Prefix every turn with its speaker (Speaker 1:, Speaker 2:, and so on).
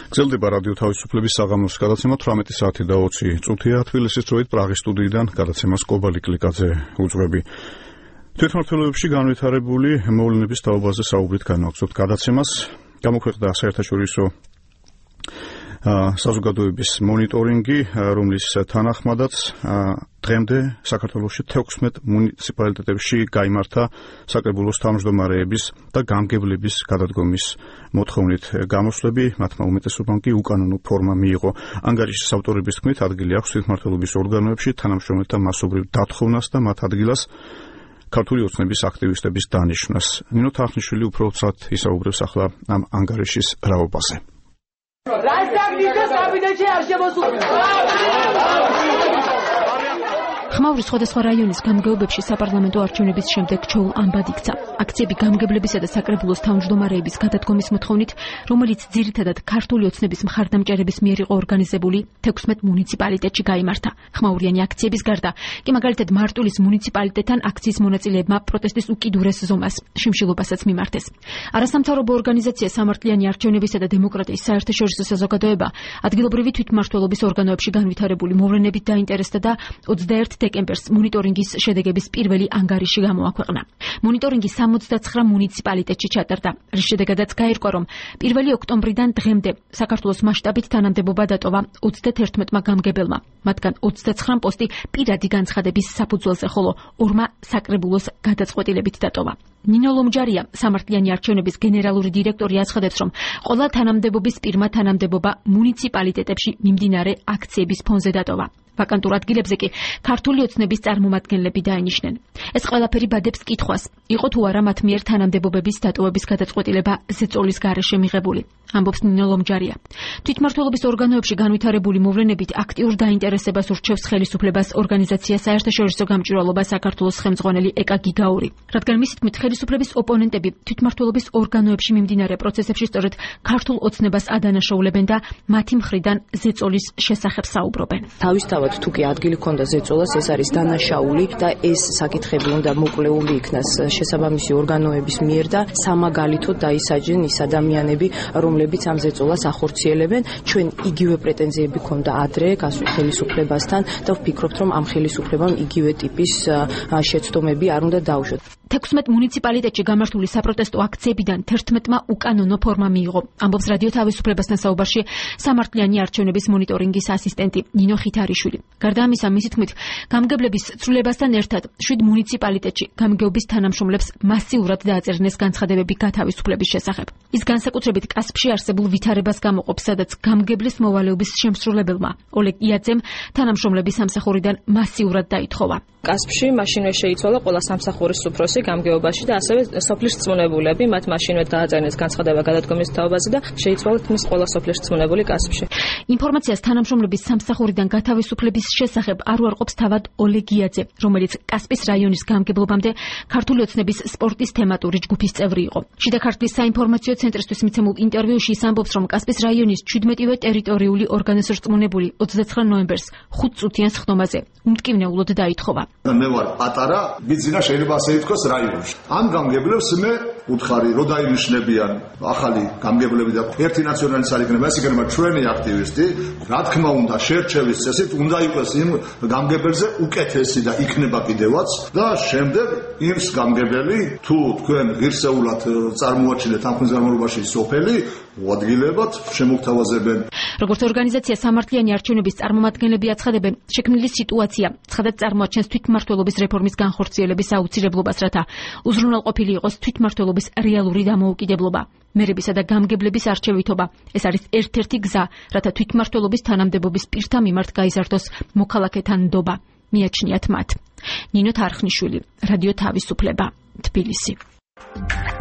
Speaker 1: გრძელდება რადიო თავისუფლების საღამოს გადაცემა 18 საათი და 20 წუთია თბილისის დროით პრაღის სტუდიიდან გადაცემას კობალი კლიკაძე უძღვები. თვითმმართველობებში განვითარებული მოვლენების თაობაზე საუბრით განვაგრძობთ გადაცემას. გამოქვეყნდა საერთაშორისო საზოგადოების მონიტორინგი, რომლის თანახმადაც დღემდე საქართველოში 16 მუნიციპალიტეტებში გაიმართა საკრებულოს თავმჯდომარეების და გამგებლების გადადგომის მოთხოვნით გამოსვლები, მათმა უმეტესობამ კი უკანონო ფორმა მიიღო. ანგარიშის ავტორების თქმით, ადგილი აქვს თვითმმართველობის ორგანოებში თანამშრომელთა მასობრივ დათხოვნას და მათ ადგილას ქართული ოცნების აქტივისტების დანიშვნას. ნინო თახნიშვილი უფრო უცბად ისაუბრებს ახლა ამ ანგარიშის რაობაზე.
Speaker 2: ხმაურის სხვადასხვა რაიონის გამგეობებში საპარლამენტო არჩევნების შემდეგ ჩოულ ამბად იქცა. აქციები გამგებლებისა და საკრებულოს თავმჯდომარეების გადადგომის მოთხოვნით, რომელიც ძირითადად ქართული ოცნების მხარდამჭერების მიერ იყო ორგანიზებული 16 მუნიციპალიტეტში გაიმართა. ხმაურიანი აქციების გარდა, კი მაგალითად მარტვილის მუნიციპალიტეტთან აქციის მონაწილეებმა პროტესტის უკიდურეს ზომას, შიმშილობასაც მიმართეს. არასამთავრობო ორგანიზაცია სამართლიანი არჩევნებისა და დემოკრატიის საერთაშორისო საზოგადოება ადგილობრივი თვითმმართველობის ორგანოებში განვითარებული მოვლენებით დაინტერესდა და 21 დეკემბერს მონიტორინგის შედეგების პირველი ანგარიში გამოაქვეყნა. მონიტორინგი 69 მუნიციპალიტეტში ჩატარდა, რის შედეგადაც გაირკვა, რომ 1 ოქტომბრიდან დღემდე საქართველოს მასშტაბით თანამდებობა დატოვა 31-მა გამგებელმა, მათგან 29 პოსტი პირადი განცხადების საფუძველზე, ხოლო 2-მა საკრებულოს გადაწყვეტილებით დატოვა. ნინო ლომჯარია, სამართლიანი არჩევნების გენერალური დირექტორი, აცხადებს, რომ ყველა თანამდებობის პირმა თანამდებობა მუნიციპალიტეტებში მიმდინარე აქციების ფონზე დატოვა. ვაკანტურ ადგილებზე კი ქართული ოცნების წარმომადგენლები დაინიშნენ. ეს ყველაფერი ბადებს კითხვას, იყო თუ არა მათ მიერ თანამდებობების დატოვების გადაწყვეტილება ზეწოლის გარეშე მიღებული, ამბობს ნინო ლომჯარია. თვითმმართველობის ორგანოებში განვითარებული მოვლენებით აქტიურ დაინტერესებას ურჩევს ხელისუფლებას ორგანიზაცია საერთაშორისო გამჭვირვალობა საქართველოს ხელმძღვანელი ეკა გიგაური. რადგან მისი თქმით, ხელისუფლების ოპონენტები თვითმმართველობის ორგანოებში მიმდინარე პროცესებში სწორედ ქართულ ოცნებას ადანაშაულებენ და მათი მხრიდან ზეწოლის შესახებ საუბრობენ.
Speaker 3: თავისთავად თუ კი ადგილი ქონდა ზეწოლას, ეს არის დანაშაული და ეს საკითხები უნდა მოკვლეული იქნას შესაბამისი ორგანოების მიერ და სამაგალითოდ დაისაჯენ ის ადამიანები, რომლებიც ამ ზეწოლას ახორციელებენ. ჩვენ იგივე პრეტენზიები ქონდა ადრე ხელისუფლებასთან და ვფიქრობთ, რომ ამ ხელისუფლებამ იგივე ტიპის შეცდომები არ უნდა დაუშვათ.
Speaker 2: 16 მუნიციპალიტეტში გამართული საპროტესტო აქციებიდან 11-მა უკანონო ფორმა მიიღო, ამბობს რადიო თავისუფლებასთან საუბარში სამართლიანი არჩევნების მონიტორინგის ასისტენტი ნინო ხითარიშვილი. გარდა ამისა, მისი თქმით, გამგებლების ცვლილებასთან ერთად 7 მუნიციპალიტეტში გამგეობის თანამშრომლებს მასიურად დააწერინეს განცხადებები გათავისუფლების შესახებ. ის განსაკუთრებით კასპში არსებულ ვითარებას გამოყოფს, სადაც გამგებლის მოვალეობის შემსრულებელმა ოლეგ იაძემ თანამშრომლების სამსახურიდან მასიურად დაითხოვა.
Speaker 4: კასპში მაშინვე შეიცვალა ყველა სამსახურის უფროსი გამგეობაში და ასევე სოფლის რწმუნებულები, მათ მაშინვე დააწერინეს განცხადება გადადგომის თაობაზე და შეიცვალათ მის ყველა სოფლის რწმუნებული კასპში.
Speaker 2: ინფორმაციას თანამშრომლების სამსახურიდან გათავისუფლების შესახებ არ უარყოფს თავად ოლეგ იაძე, რომელიც კასპის რაიონის გამგებლობამდე ქართული ოცნების სპორტის თემატური ჯგუფის წევრი იყო. შიდა ქართლის საინფორმაციო ცენტრისთვის მიცემულ ინტერვიუში ის ამბობს, რომ კასპის რაიონის 17-ვე ტერიტორიული ორგანოს რწმუნებული 29 ნოემბერს 5 წუთიან სხდომაზე უმტკივნეულოდ დაითხოვა.
Speaker 5: მე ვარ პატარა, ბიძინა შეიძლება ასე ითქვას რაიონში. ამ გამგებლებს მე უთხარი, რომ დაინიშნებიან ახალი გამგებლები და ერთი ნაციონალის არ იქნება, ეს იქნება ჩვენი აქტივისტი, რა თქმა უნდა, შერჩევის წესით უნდა იყოს იმ გამგებელზე უკეთესი და იქნება კიდევაც და შემდეგ ის გამგებელი თუ თქვენ ღირსეულად წარმოაჩინეთ ამ ხმის სოფელი უადგილებად შემოგთავაზებენ.
Speaker 2: როგორც ორგანიზაცია სამართლიანი არჩევნების წარმომადგენლები აცხადებენ, შექმნილი სიტუაცია ცხადად წარმოაჩენს თვითმმართველობის რეფორმის განხორციელების აუცილებლობას, რათა უზრუნველყოფილი იყოს თვითმმართველობის რეალური დამოუკიდებლობა. მერებისა და გამგებლების არჩევითობა. ეს არის ერთ-ერთი გზა, რათა თვითმმართველობის თანამდებობის პირთა მიმართ გაიზარდოს მოქალაქეთა ნდობა. მიაჩნიათ მათ. ნინო თარხნიშვილი, რადიო თავისუფლება, თბილისი.